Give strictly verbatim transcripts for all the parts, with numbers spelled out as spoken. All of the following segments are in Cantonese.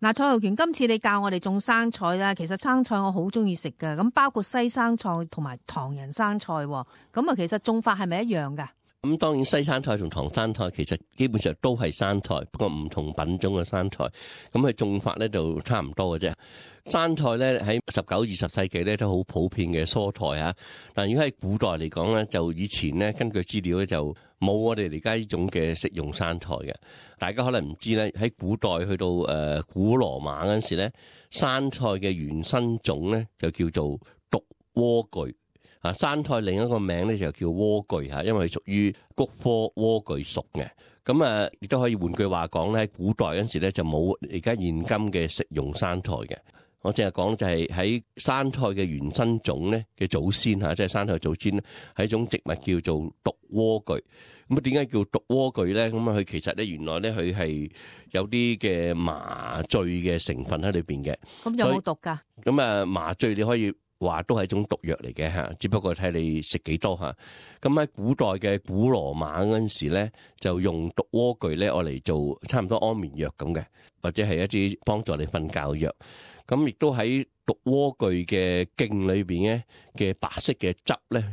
嗱，蔡浩權，今次你教我哋種生菜啦，其實生菜我好中意食㗎，咁包括西生菜同埋唐人生菜，咁啊，其實種法係咪一樣㗎？咁當然西生菜同唐生菜其實基本上都係生菜，不過唔同品種嘅生菜，咁佢種法咧就差唔多嘅啫。生菜咧喺十九、二十世紀咧都好普遍嘅蔬菜啊，但如果喺古代嚟講咧，就以前咧根據資料咧就冇我哋而家呢種嘅食用生菜嘅。大家可能唔知咧，喺古代去到誒古羅馬嗰陣時咧，生菜嘅原生種咧就叫做毒萵苣。啊，生菜另一個名咧就叫萵苣嚇，因為屬於菊科萵苣屬嘅。咁啊，亦都可以換句話講咧，喺古代嗰陣時咧就冇而家現今嘅食用生菜嘅。我淨係講就係喺生菜嘅原生種咧嘅祖先嚇，即係生菜祖先咧係一種植物叫做毒萵苣。咁啊，點解叫毒萵苣咧？咁啊，佢其實咧原來咧佢係有啲嘅麻醉嘅成分喺裏邊嘅。咁有冇毒㗎？咁啊，麻醉你可以話都係一種毒藥嚟嘅嚇，只不過睇你食幾多嚇。咁喺古代嘅古羅馬嗰陣時咧，就用毒萵苣咧，我嚟做差唔多安眠藥咁嘅，或者係一啲幫助你瞓覺藥。咁亦都喺毒萵苣嘅莖裏邊咧嘅白色嘅汁咧，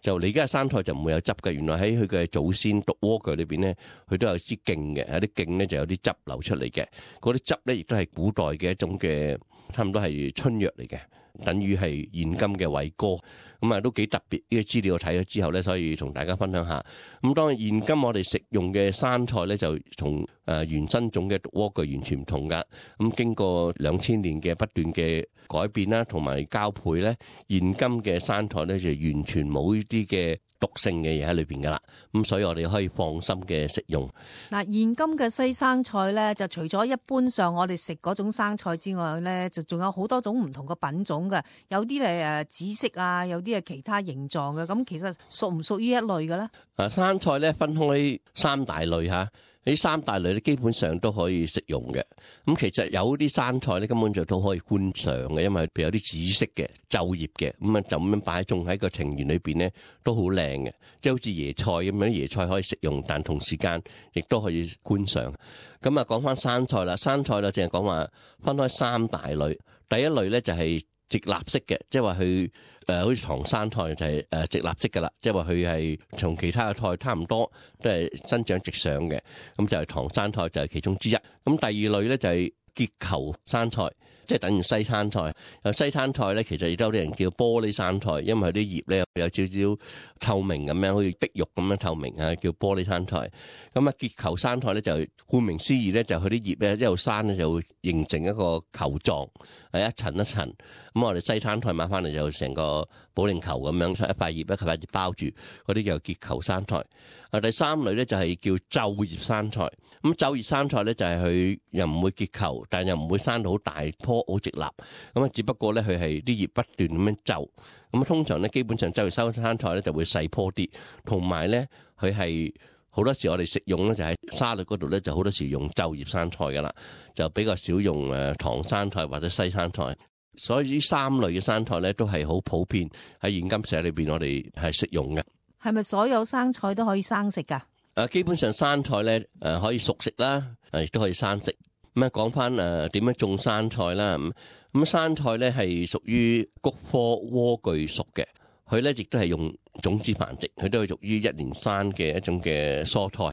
就你而家生菜就唔會有汁嘅。原來喺佢嘅祖先毒萵苣裏邊咧，佢都有啲莖嘅，有啲莖咧就有啲汁流出嚟嘅。嗰啲汁咧亦都係古代嘅一種嘅，差唔多係春藥嚟嘅。等於係現今嘅偉哥，咁啊都幾特別。呢個資料我睇咗之後咧，所以同大家分享下。咁當然現今我哋食用嘅生菜咧，就同誒原生種嘅毒萵苣完全唔同噶。咁經過兩千年嘅不斷嘅改變啦，同埋交配咧，現今嘅生菜咧就完全冇呢啲嘅毒性嘅嘢喺裏邊噶啦。咁所以我哋可以放心嘅食用。嗱，現今嘅西生菜咧，就除咗一般上我哋食嗰種生菜之外咧，就仲有好多種唔同嘅品種嘅，有啲係誒紫色啊，有啲係其他形狀嘅。咁其實屬唔屬於一類嘅咧？啊，生菜咧分開三大類嚇。呢三大類咧基本上都可以食用嘅。咁其實有啲生菜咧根本就都可以觀賞嘅，因為譬如有啲紫色嘅皺葉嘅，咁啊就咁樣擺種喺個庭園裏邊咧都好靚嘅，即係好似椰菜咁樣，椰菜可以食用，但同時間亦都可以觀賞。咁啊講翻生菜啦，生菜啦淨係講話分開三大類，第一類咧就係直立式嘅，即係話佢誒好似唐生菜就係誒直立式㗎啦，即係話佢係同其他嘅菜差唔多，都係生長直上嘅，咁就係唐生菜就係其中之一。咁第二類咧就係結球生菜，即係等於西生菜。有西生菜咧，其實亦都有啲人叫玻璃生菜，因為佢啲葉咧有少少透明咁樣，好似碧玉咁樣透明啊，叫玻璃生菜。咁啊，結球生菜咧就顧名思義咧，就佢啲葉咧一路生咧就會形成一個球狀，係一層一層。咁我哋西生菜買翻嚟就成個保齡球咁樣，一塊葉一塊葉包住，嗰啲叫結球生菜。啊，第三類咧就係叫皺葉生菜。咁皺葉生菜咧就係佢又唔會結球，但又唔會生到好大棵好直立。咁啊，只不過咧佢係啲葉不斷咁樣皺。咁通常咧基本上皺葉生生菜咧就會細棵啲，同埋咧佢係好多時我哋食用咧就喺沙律嗰度咧就好多時用皺葉生菜噶啦，就比較少用誒唐生菜或者西生菜。所以呢三類嘅生菜咧都係好普遍喺現今社裏邊我哋係食用嘅。係咪所有生菜都可以生食噶？誒，基本上生菜咧誒可以熟食啦，誒亦都可以生食。咁啊講翻誒點樣種生菜啦。咁咁生菜咧係屬於菊科萵苣屬嘅，佢咧亦都係用種子繁殖，佢都係屬於一年生嘅一種嘅蔬菜。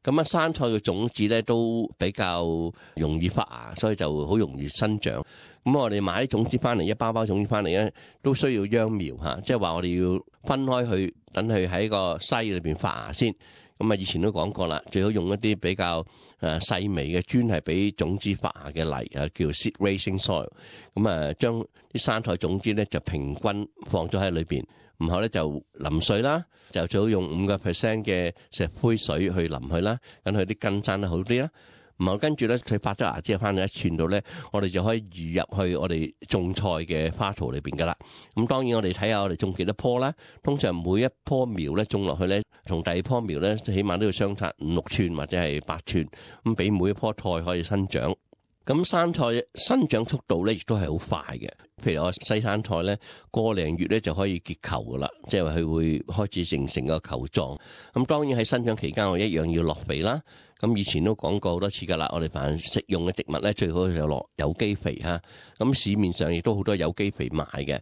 咁啊，生菜嘅種子咧都比較容易發芽，所以就好容易生長。咁我哋買啲種子翻嚟，一包包種子翻嚟咧，都需要秧苗嚇，即係話我哋要分開去，等佢喺個篩裏邊發芽先。咁啊，以前都講過啦，最好用一啲比較誒細微嘅，專係俾種子發芽嘅泥啊，叫 seed raising soil。咁啊，將啲生菜種子咧就平均放咗喺裏邊，然後咧就淋水啦，就最好用五個 percent 嘅石灰水去淋佢啦，等佢啲根生得好啲啦。然後跟住咧，佢發咗芽之後翻到一寸度咧，我哋就可以移入去我哋種菜嘅花槽裏邊噶啦。咁當然我哋睇下我哋種幾多棵啦。通常每一棵苗咧種落去咧，同第二棵苗咧，起碼都要相差五六寸或者係八寸，咁俾每一棵菜可以生長。咁生菜生長速度咧亦都係好快嘅。譬如我西生菜咧，個零月咧就可以結球噶啦，即係話佢會開始形成個球狀。咁當然喺生長期間我一樣要落肥啦。咁以前都講過好多次㗎啦，我哋凡食用嘅植物咧，最好就落有機肥嚇。咁市面上亦都好多有機肥賣嘅，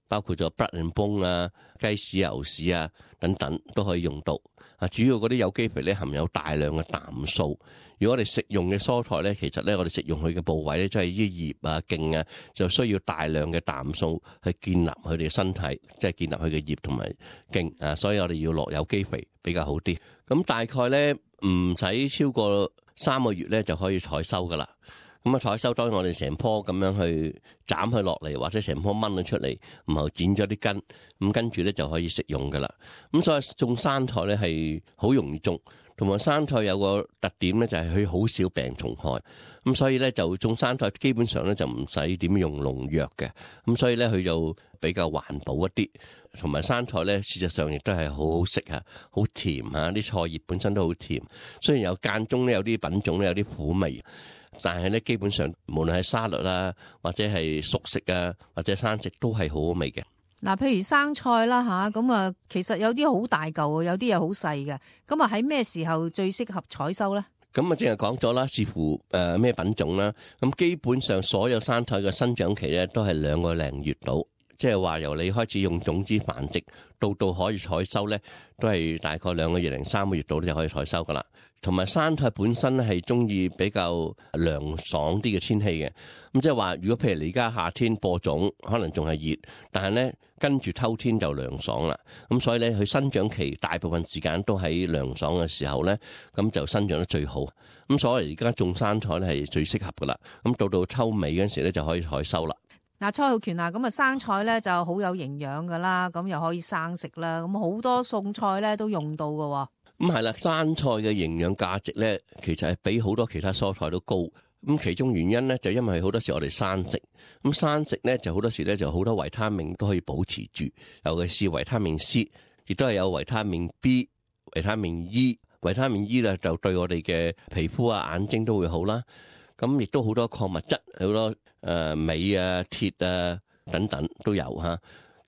包括咗 blood and bone 啊、雞屎、牛屎啊等等都可以用到。啊，主要嗰啲有機肥咧含有大量嘅氮素。如果我哋食用嘅蔬菜咧，其實咧我哋食用佢嘅部位咧，即係啲葉啊、莖啊，就需要大量嘅氮素去建立佢哋嘅身體，即係建立佢嘅葉同埋莖啊。所以我哋要落有機肥比較好啲。咁大概咧唔使超過三個月咧就可以採收噶啦。咁啊，採收當然我哋成棵咁樣去斬佢落嚟，或者成棵掹咗出嚟，然後剪咗啲根，咁跟住咧就可以食用噶啦。咁所以種生菜咧係好容易種，同埋生菜有個特點咧就係佢好少病蟲害。咁所以咧就種生菜基本上咧就唔使點用農藥嘅。咁所以咧佢就比較環保一啲，同埋生菜咧事實上亦都係好好食啊，好甜啊，啲菜葉本身都好甜。雖然有間中咧有啲品種咧有啲苦味。但係咧，基本上無論係沙律啦，或者係熟食啊，或者生食都係好好味嘅。嗱，譬如生菜啦吓，咁啊，其實有啲好大嚿，有啲又好細嘅。咁啊，喺咩時候最適合採收咧？咁啊，正係講咗啦，視乎誒咩品種啦。咁基本上所有生菜嘅生長期咧，都係兩個零月到，即係話由你開始用種子繁殖到到可以採收咧，都係大概兩個月零三個月到就可以採收噶啦。同埋生菜本身係中意比較涼爽啲嘅天氣嘅，咁即係話，如果譬如你而家夏天播種，可能仲係熱，但係咧跟住秋天就涼爽啦。咁所以咧，佢生長期大部分時間都喺涼爽嘅時候咧，咁就生長得最好。咁所以而家種生菜咧係最適合噶啦。咁到到秋尾嗰陣時咧就可以採收啦。嗱，蔡浩權啊，咁啊生菜咧就好有營養噶啦，咁又可以生食啦，咁好多餸菜咧都用到噶。咁係啦，生菜嘅營養價值咧，其實係比好多其他蔬菜都高。咁其中原因咧，就因為好多時我哋生食，咁生食咧就好多時咧就好多維他命都可以保持住，尤其是維他命 C， 亦都係有維他命 B、維他命 E。維他命 E 咧就對我哋嘅皮膚啊、眼睛都會好啦。咁亦都好多礦物質，好多誒鎂啊、鐵啊等等都有嚇。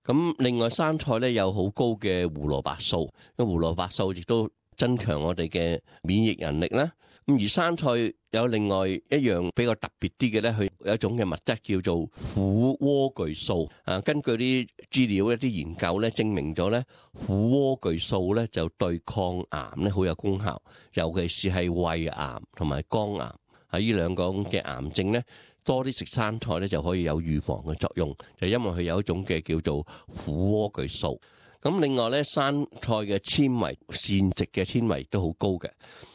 咁另外生菜咧有好高嘅胡蘿蔔素，咁胡蘿蔔素亦都增強我哋嘅免疫能力啦。咁而生菜有另外一樣比較特別啲嘅咧，佢有一種嘅物質叫做虎萵苣素。啊，根據啲資料一啲研究咧，證明咗咧虎萵苣素咧就對抗癌咧好有功效，尤其是係胃癌同埋肝癌。喺呢兩個嘅癌症咧，多啲食生菜咧就可以有預防嘅作用，就因為佢有一種嘅叫做虎萵苣素。咁另外咧，生菜嘅纖維，膳食嘅纖維都好高嘅。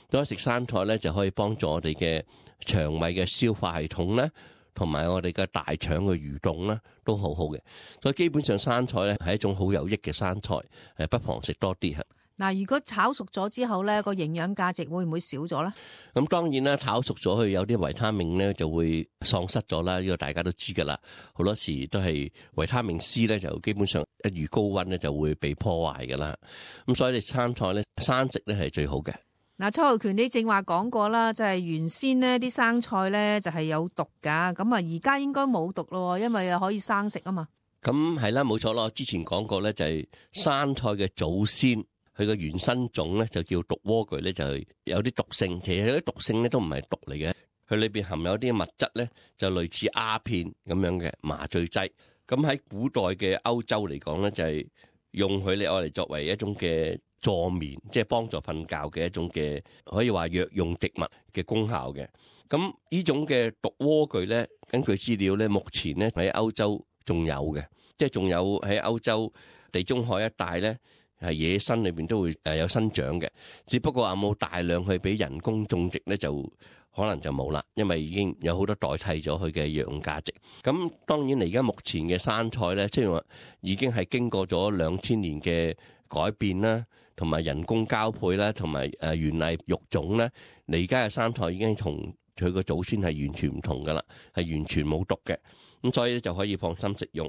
多食生菜咧，就可以幫助我哋嘅腸胃嘅消化系統咧，同埋我哋嘅大腸嘅蠕動咧，都好好嘅。所以基本上生菜咧係一種好有益嘅生菜，誒不妨食多啲嚇。嗱，如果炒熟咗之後咧，個營養價值會唔會少咗咧？咁當然啦，炒熟咗佢有啲維他命咧就會喪失咗啦，呢個大家都知噶啦。好多時都係維他命 C 咧就基本上一遇高溫咧就會被破壞噶啦。咁所以你生菜咧生食咧係最好嘅。嗱，蔡浩權你正話講過啦，就係原先呢啲生菜咧就係有毒噶，咁啊而家應該冇毒咯，因為可以生食啊嘛。咁係啦，冇錯咯。之前講過咧就係生菜嘅祖先。佢個原生種咧就叫毒萵苣咧，就係有啲毒性。其實有啲毒性咧都唔係毒嚟嘅，佢裏邊含有啲物質咧就類似鴉片咁樣嘅麻醉劑。咁喺古代嘅歐洲嚟講咧，就係用佢嚟愛嚟作為一種嘅助眠，即係幫助瞓覺嘅一種嘅可以話藥用植物嘅功效嘅。咁呢種嘅毒萵苣咧，根據資料咧，目前咧喺歐洲仲有嘅，即係仲有喺歐洲地中海一帶咧。係野生裏邊都會誒有生長嘅，只不過有冇大量去俾人工種植咧，就可能就冇啦，因為已經有好多代替咗佢嘅藥用價值。咁當然，而家目前嘅生菜咧，即係話已經係經過咗兩千年嘅改變啦，同埋人工交配啦，同埋誒園藝育種咧，你而家嘅生菜已經同佢個祖先係完全唔同噶啦，係完全冇毒嘅，咁所以就可以放心食用。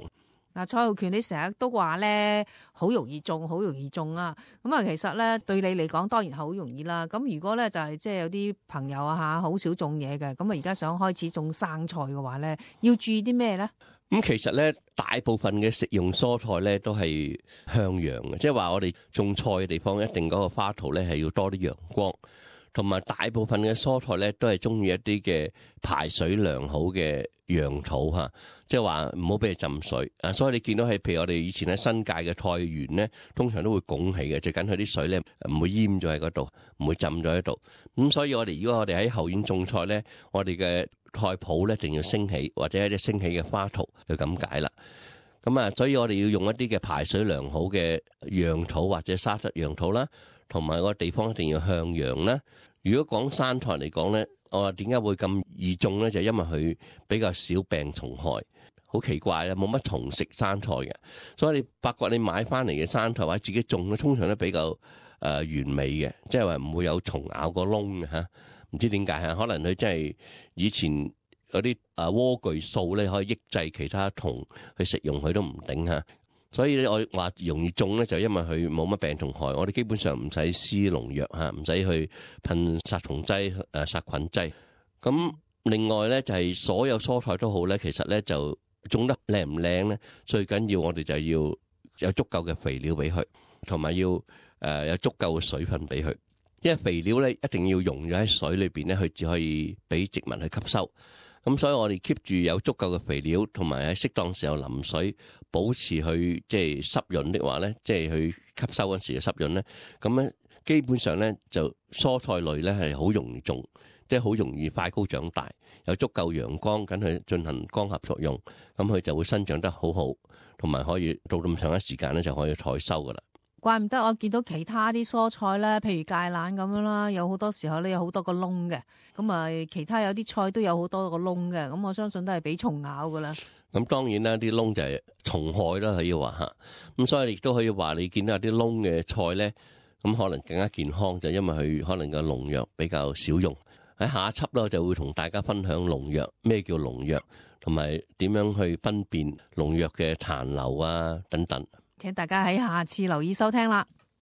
嗱，蔡浩權你成日都話咧，好容易種，好容易種啊！咁啊，其實咧對你嚟講當然係好容易啦。咁如果咧就係即係有啲朋友啊嚇，好少種嘢嘅，咁啊而家想開始種生菜嘅話咧，要注意啲咩咧？咁其實咧，大部分嘅食用蔬菜咧都係向陽嘅，即係話我哋種菜嘅地方一定嗰個花土咧係要多啲陽光，同埋大部分嘅蔬菜咧都係中意一啲嘅排水良好嘅陽土嚇，即係話唔好俾佢浸水啊。所以你見到係譬如我哋以前喺新界嘅菜園咧，通常都會拱起嘅，最緊佢啲水咧唔會淹咗喺嗰度，唔會浸咗喺度。咁所以我哋如果我哋喺後院種菜咧，我哋嘅菜圃咧一定要升起，或者一啲升起嘅花圖就咁解啦。咁啊，所以我哋要用一啲嘅排水良好嘅陽土或者沙質陽土啦，同埋個地方一定要向陽啦。如果講山菜嚟講咧，我話點解會咁易種咧？就因為佢比較少病蟲害，好奇怪啦，冇乜蟲食山菜嘅。所以你發覺你買翻嚟嘅山菜或者自己種咧，通常都比較誒、呃、完美嘅，即係話唔會有蟲咬個窿嘅嚇。唔知點解嚇，可能佢真係以前嗰啲啊萵苣素咧可以抑制其他蟲去食用佢都唔頂嚇。所以我話容易種咧，就因為佢冇乜病蟲害，我哋基本上唔使施農藥嚇，唔使去噴殺蟲劑、誒殺菌劑。咁另外咧就係所有蔬菜都好咧，其實咧就種得靚唔靚咧，最緊要我哋就要有足夠嘅肥料俾佢，同埋要誒有足夠嘅水分俾佢。因為肥料咧一定要溶咗喺水裏邊咧，佢只可以俾植物去吸收。咁所以我哋 keep 住有足夠嘅肥料，同埋喺適當時候淋水，保持佢即係濕潤的話咧，即係去吸收嗰時嘅濕潤咧。咁咧基本上咧就蔬菜類咧係好容易種，即係好容易快高長大，有足夠陽光緊去進行光合作用，咁佢就會生長得好好，同埋可以到咁長嘅時間咧就可以採收噶啦。怪唔得我見到其他啲蔬菜咧，譬如芥蘭咁樣啦，有好多時候咧有好多個窿嘅，咁啊其他有啲菜都有好多個窿嘅，咁我相信都係俾蟲咬噶啦。咁當然啦，啲窿就係蟲害啦，可以話嚇。咁所以亦都可以話你見到有啲窿嘅菜咧，咁可能更加健康，就因為佢可能個農藥比較少用。喺下一輯咧，我就會同大家分享農藥，咩叫農藥，同埋點樣去分辨農藥嘅殘留啊等等。請大家喺下次留意收聽啦。